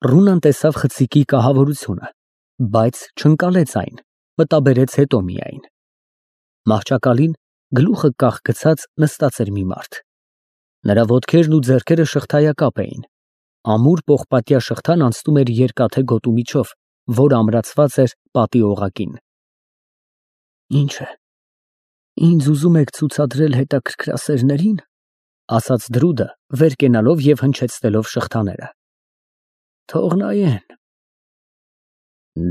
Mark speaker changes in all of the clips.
Speaker 1: Ռունան տեսավ խցիկի կահավորությունը, բայց չընկալեց այն, մտաբերեց հետո միայն։ Մահճակալին գլուխը կախ գցած նստած էր մի մարդ։ Նրա ոտքերն ու ձեռքերը շղթայակապ էին, ամուր պողպատյա շղթան անցնում էր երկաթե գոտու միջով, որ ամրացված էր պատի օղակին։ Ինչ է, ինձ ուզում եք ցուցադրել հետաքրքրասերներին, ասաց Դրուդը, վեր կենալով և հնչեցնելով շղթաները։ Թող նայեն։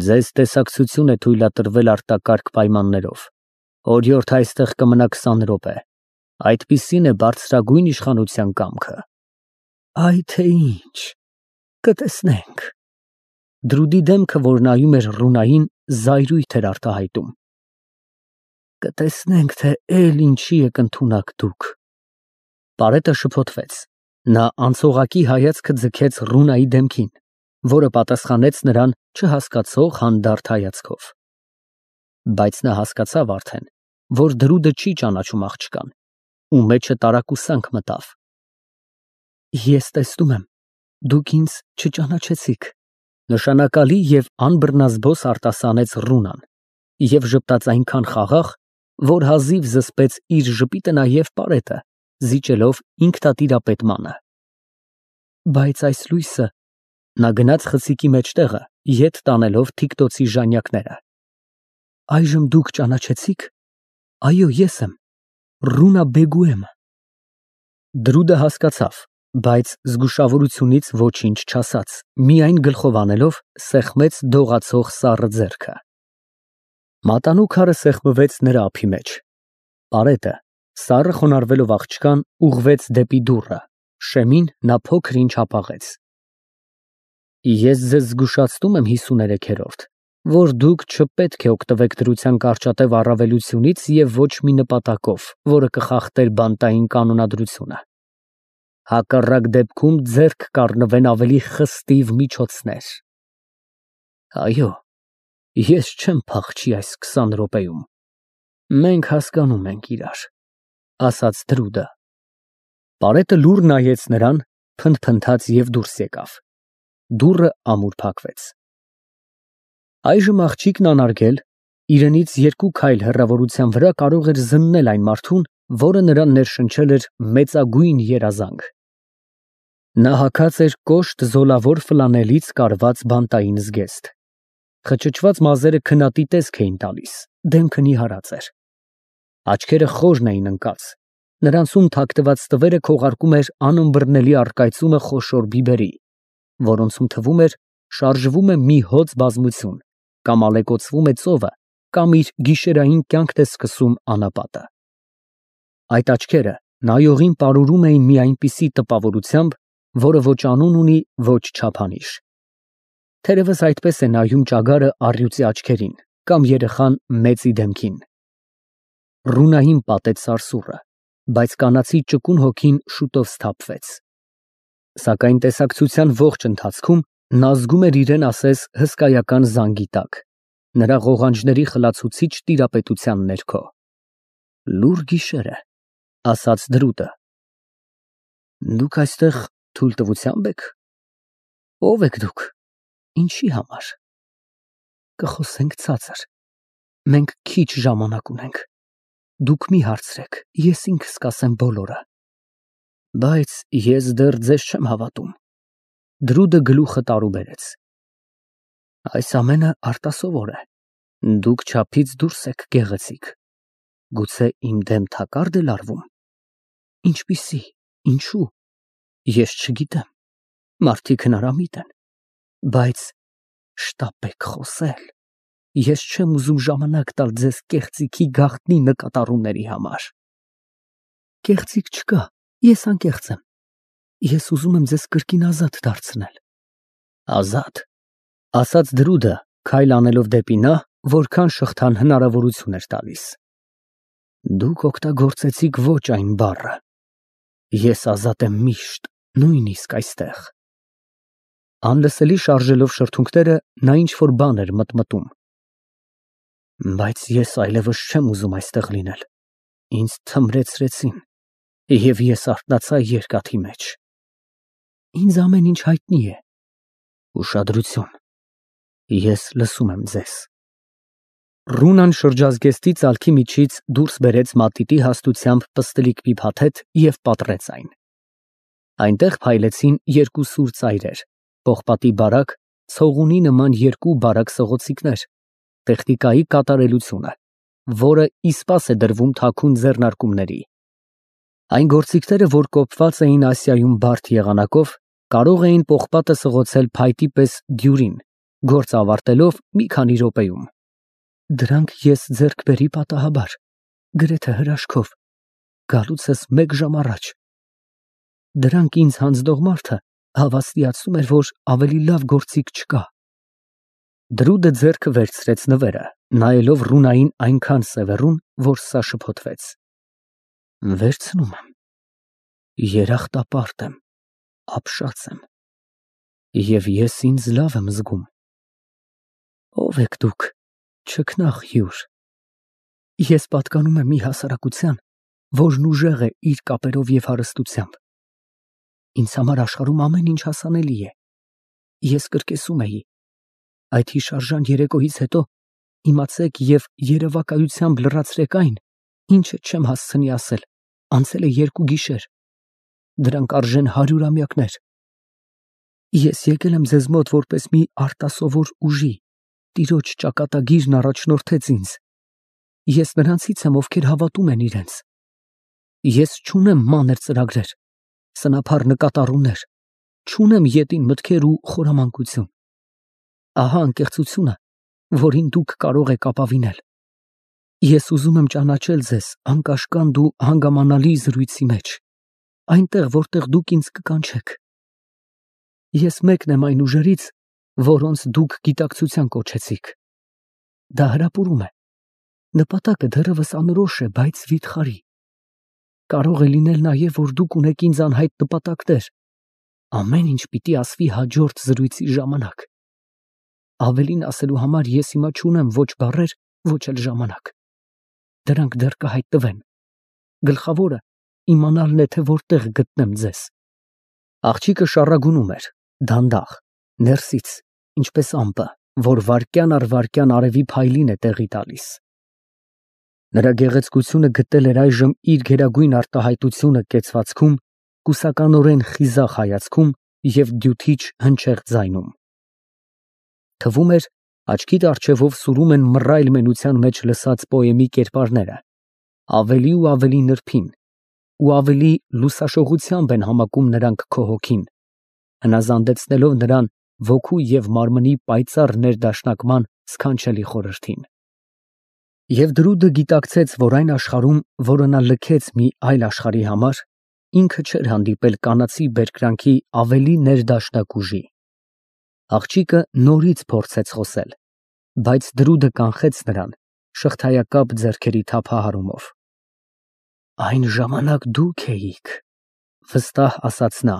Speaker 1: Ձեզ տեսակցություն է թույլատրվել արտակարգ պայմաններով։ Օրիորդ այստեղ կմնա 20 րոպե։ Այդպիսին է բարձրագույն իշխանության կամքը։ Այ թե ինչ, կտեսնենք։ Դրուդի դեմքը, որ նայում էր Ռունային, զայրույթ էր արտահայտում։ Կտեսնենք, թե էլ ինչի եք ընդունակ դուք։ Պարետը շփոթվեց։ Նա անցողակի հայացքը ձգեց Ռունայի դեմքին, որը պատասխանեց նրան չհասկացող հանդարտ հայացքով։ Բայց նա հասկացավ արդեն, որ Դրուդը չի ճանաչում աղջկան, ու մեջը տարակուսանք մտավ։ Ես տեսնում եմ, դուք ինձ չճանաչեցիք, նշանակալի և անբռնազբոս արտասանեց Ռունան և ժպտաց այնքան խաղաղ, որ հազիվ զսպեց իր ժպիտը նաև պարետը, զիջելով ինքնատիրապետմանը։ Բայց այս լույսը, նա գնաց խցիկի մեջտեղը, ետ տանելով թիկտոցի ժանյակները։ Այժմ դուք ճանաչեցիք։ Այո, ես եմ, Ռունա Բեգուեմը։ Դրուդը հասկացավ, բայց զգուշավորությունից ոչինչ չասաց, միայն գլխով անելով սեղմեց դողացող սառը ձեռքը։ Մատանու քարը սեղմվեց նրա ափի մեջ։ Պարետը, սառը խոնարհվելով աղջկան, ուղղվեց դեպի դուռը, շեմին նա փոքր-ինչ հապաղեց։ Ես ձեզ զգուշացնում եմ 53-րդ, որ դուք չպետք է օգտվեք դրության կարճատև առավելությունից և ոչ մի նպատակով, որը կխախտեր բանտային կանոնադրությունը։ Հակառակ դեպքում ձեռք կառնվեն ավելի խստիվ միջոցներ։ Այո, ես չեմ փախչի այս 20 րոպեում։ Մենք հասկանում ենք իրար, ասաց Դրուդը։ Պարետը լուռ նայեց նրան, փնթփնթաց և դուրս եկավ։ Դուռը ամուր փակվեց։ Այժմ աղջիկն անարգել, իրենից 2 քայլ հեռավորության վրա կարող էր զննել այն մարդուն, որը նրան ներշնչել էր մեծագույն երազանք։ Նա հագած էր կոշտ զոլավոր ֆլանելից կարված բանտային զգեստ։ Խճճված մազերը քնատի տեսք էին տալիս, դեմքը նիհարած էր։ Աչքերը խորն էին ընկած, նրանցում թաքնված տվերը քողարկում էր անըմբռնելի առկայծումը խոշոր բիբերի, որոնցում թվում էր շարժվում է մի հոծ բազմություն, կամ ալեկոծվում է ծովը, կամ իր գիշերային կյանքն է սկսում անապատը։ Այդ աչքերը նայողին պարուրում էին մի այնպիսի տպավորությամբ, որը ոչ անուն ունի, ոչ չափանիշ։ Թերևս այդպես է նայում ճագարը առյուծի աչքերին, կամ երեխան մեծի դեմքին։ Ռունային պատեց սարսուռը, բայց կանացի ճկուն հոգին շուտով սթափվեց։ Սակայն տեսակցության ողջ ընթացքում նա զգում էր իրեն ասես հսկայական զանգի տակ, նրա ղողանջների խլացուցիչ տիրապետության ներքո։ Լուռ գիշեր է, ասաց Դրուդը։ Դուք այստեղ թույլտվությա՞մբ եք։ Ո՞վ եք դուք, ինչի համար։ Կխոսենք ցածր, մենք քիչ ժամանակ ունենք, դուք մի հարցրեք, ես ինքս կասեմ բոլորը։ Բայց ես դեռ ձեզ չեմ հավատում։ Դրուդը գլուխը տարուբերեց։ Այս ամենը արտասովոր է, դուք չափից դուրս եք գեղեցիկ։ Գուցե իմ դեմ թակարդ է լարվում։ Ինչպիսի, ինչու, ես չգիտեմ, մարդիկ հնարամիտ են, բայց շտապեք խոսել, ես չեմ ուզում ժամանակ տալ ձեզ կեղծիքի գաղտնի նկատառումների համար։ Կեղծիք չկա, ես անկեղծ եմ, ես ուզում եմ ձեզ կրկին ազատ դարձնել։ Ազատ, ասաց Դրուդը, քայլ անելով դեպի նա, որքան շղթան հնարավորություն էր տալիս։ Դուք օգտագործեցիք ոչ այն բառը։ Ես ազատ եմ միշտ, նույնիսկ այստեղ։ Անլսելի շարժելով շրթունքները, նա ինչ-որ բան էր մտմտում։ Բայց ես այլևս չեմ ուզում այստեղ լինել։ Ինձ թմրեցրեցին, և ես արթնացա երկաթի մեջ։ Ինձ ամեն ինչ հայտնի է։ Ուշադրություն, ես լսում եմ ձեզ։ Ռունան շրջազգեստի ծալքի միջից դուրս բերեց մատիտի հաստությամբ պստլիկ մի փաթեթ և պատռեց այն։ Այնտեղ փայլեցին երկու սուր ծայրեր, պողպատի բարակ, ցողունի նման երկու բարակ սղոցիկներ, տեխնիկայի կատարելությունը, որը իսպաս է դրվում թաքուն ձեռնարկումների։ Այն գործիքները, որ կոփված էին Ասիայում բարդ եղանակով, կարող էին պողպատը սղոցել փայտի պես դյուրին, գործ ավարտելով մի քանի րոպեում։ Դրանք ես ձեռք բերի պատահաբար, գրեթե հրաշքով, գալուցս 1 ժամ առաջ։ Դրանք ինձ հանձնող մարդը հավաստիացնում էր, որ ավելի լավ գործիք չկա։ Դրուդը ձեռքը վերցրեց նվերը, նայելով Ռունային այնքան սևեռուն, որ սա շփոթվեց։ Վերցնում եմ։ Երախտապարտ եմ, ապշած եմ։ Եվ ես ինձ լավ եմ զգում։ Ո՞վ եք դուք, չքնաղ հյուր։ Ես պատկանում եմ մի հասարակության, որն ուժեղ է իր կապերով և հարստությամբ։ Ինձ համար աշխարհում ամեն ինչ հասանելի է։ Ես կրկեսում էի. այդ հիշարժան երեկոյից հետո իմացեք և երևակայությամբ լրացրեք այն, ինչը չեմ հասցնի ասել, անցել է 2 գիշեր։ Դրանք արժեն 100-ամյակներ։ Ես եկել եմ ձեզ մոտ որպես մի արտասովոր ուժի, Տիրոջ ճակատագիրն առաջնորդեց ինձ։ Ես նրանցից եմ, ովքեր հավատում են իրենց։ Ես չունեմ մանր ծրագրեր, սնափառ նկատառումներ, չունեմ ետին մտքեր ու խորամանկություն։ Ահա անկեղծությունը, որին դուք կարող եք ապավինել։ Ես ուզում եմ ճանաչել ձեզ անկաշկանդ ու հանգամանալի զրույցի մեջ, այնտեղ, որտեղ դուք ինձ կկանչեք։ Ես մեկն եմ այն ուժերից, որոնց դուք գիտակցության կոչեցիք։ Դա հրապուրում է։ Նպատակը դեռևս անորոշ է, բայց վիթխարի։ Կարող է լինել նաև, որ դուք ունեք ինձ անհայտ նպատակներ։ Ամեն ինչ պիտի ասվի հաջորդ զրույցի ժամանակ։ Ավելին ասելու համար ես հիմա չունեմ ոչ բառեր, ոչ էլ ժամանակ։ Դրանք դեռ կհայտնվեն։ Գլխավորը իմանալն է, թե որտեղ գտնեմ ձեզ։ Աղջիկը շառագունում էր, դանդաղ, ներսից, ինչպես ամպը, որ վայրկյան առ վայրկյան արևի փայլին է տեղի տալիս։ Նրա գեղեցկությունը գտել էր այժմ իր գերագույն արտահայտությունը կեցվածքում, կուսականորեն խիզախ հայացքում և դյութիչ հնչեղ ձայնում։ Թվում էր, աչքիդ առջևով սուրում են մռայլ մենության մեջ լսած պոեմի կերպարները, ավելի ու ավելի նրբին, ու ավելի լուսաշողությամբ են համակում նրանք քո հոգին, հնազանդեցնելով նրան ոգու և մարմնի պայծառ ներդաշնակման սքանչելի խորհրդին։ Եվ Դրուդը գիտակցեց, որ այն աշխարհում, որը նա լքեց մի այլ աշխարհի համար, ինքը չէր հանդիպել կանացի բերկրանքի ավելի ներդաշնակ ուժի։ Աղջիկը նորից փորձեց խոսել, բայց Դրուդը կանխեց նրան շղթայակապ ձեռքերի թափահարումով։ Այն ժամանակ դուք էիք, վստահ ասաց նա։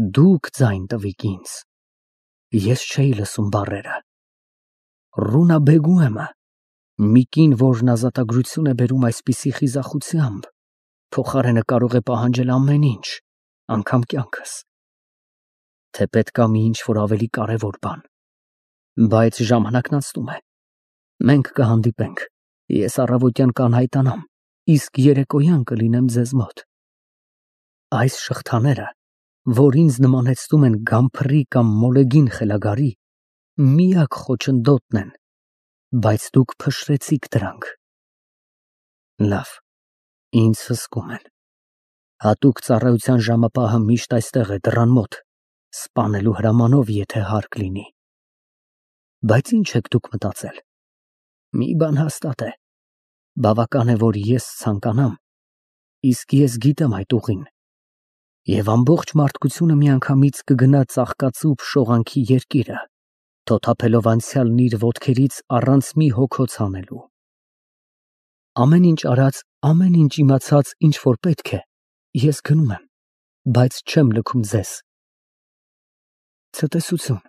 Speaker 1: Դուք ձայն տվիք ինձ։ Ես չէի լսում բառերը։ Ռունա Բեգուեմը, մի կին, որն ազատագրություն է բերում այսպիսի խիզախությամբ, փոխարենը կարող է պահանջել ամեն ինչ, անգամ կյանքս։ Թե պետք է մի ինչ-որ ավելի կարևոր բան։ Բայց ժամանակն անցնում է։ Մենք կհանդիպենք։ Ես առավոտյան կանհայտանամ, իսկ երեկոյան կլինեմ ձեզ մոտ։ Այս շղթաները, որ ինձ նմանեցնում են գամփրի կամ մոլեգին խելագարի, միակ խոչընդոտն են, բայց դուք փշրեցիք դրանք։ Լավ, ինձ հսկում են։ Հատուկ ծառայության ժամապահը միշտ այստեղ է դռան մոտ, սպանելու հրամանով, եթե հարկ լինի։ Բայց ինչ եք դուք մտածել։ Մի բան հաստատ է։ Բավական է, որ ես ցանկանամ, իսկ ես գիտեմ այդ ուղին։ Եվ ամբողջ մարդկությունը միանգամից կգնա ծաղկածուփ շողանքի երկիրը, թոթափելով անցյալն իր ոտքերից առանց մի հոգոց հանելու։ Ամեն ինչ արած, ամեն ինչ իմացած, ինչ որ պետք է, ես գնում եմ, բայց չեմ լքում ձեզ։ Ցտեսություն։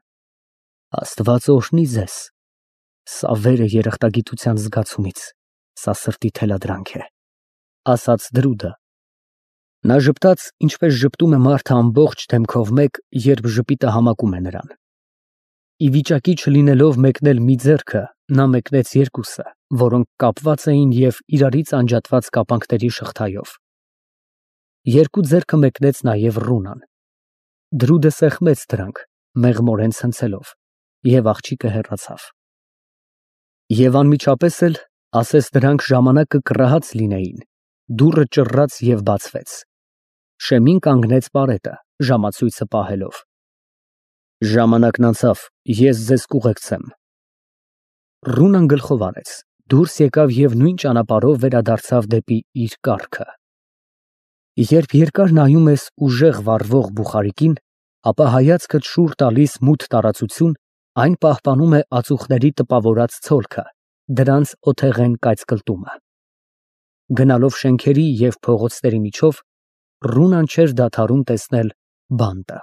Speaker 1: Աստված օրհնի ձեզ։ Սա վեր է երախտագիտության զգացումից, սա սրտի թելադրանք է, ասաց Դրուդը։ Նա ժպտաց, ինչպես ժպտում է մարդը ամբողջ դեմքով մեկ, երբ ժպիտը համակում է նրան։ Ի վիճակի չլինելով մեկնել մի ձեռքը, նա մեկնեց երկուսը, որոնք կապված էին և իրարից անջատված կապանքների շղթայով։ Երկու ձեռքը մեկնեց նաև Ռունան։ Դրուդը սեղմեց դրանք, մեղմորեն ցնցելով, և աղջիկը հեռացավ։ Եվ անմիջապես էլ, ասես դրանք ժամանակը կռահած լինեին, դուռը ճռռաց և բացվեց։ Շեմին կանգնեց պարետը, ժամացույցը պահելով։ Ժամանակն անցավ, ես ձեզ կուղեկցեմ։ Ռունան գլխով արեց, դուրս եկավ և նույն ճանապարհով վերադարձավ դեպի իր կառքը։ Երբ երկար նայում ես ուժեղ վառվող բուխարիկին, ապա հայացքդ շուռ տալիս մութ տարածություն, այն պահպանում է ածուխների տպավորած ցոլքը, դրանց օթեղեն կայծկլտումը։ Գնալով շենքերի և փողոցների միջով, Ռունան չէր դադարում տեսնել բանտը։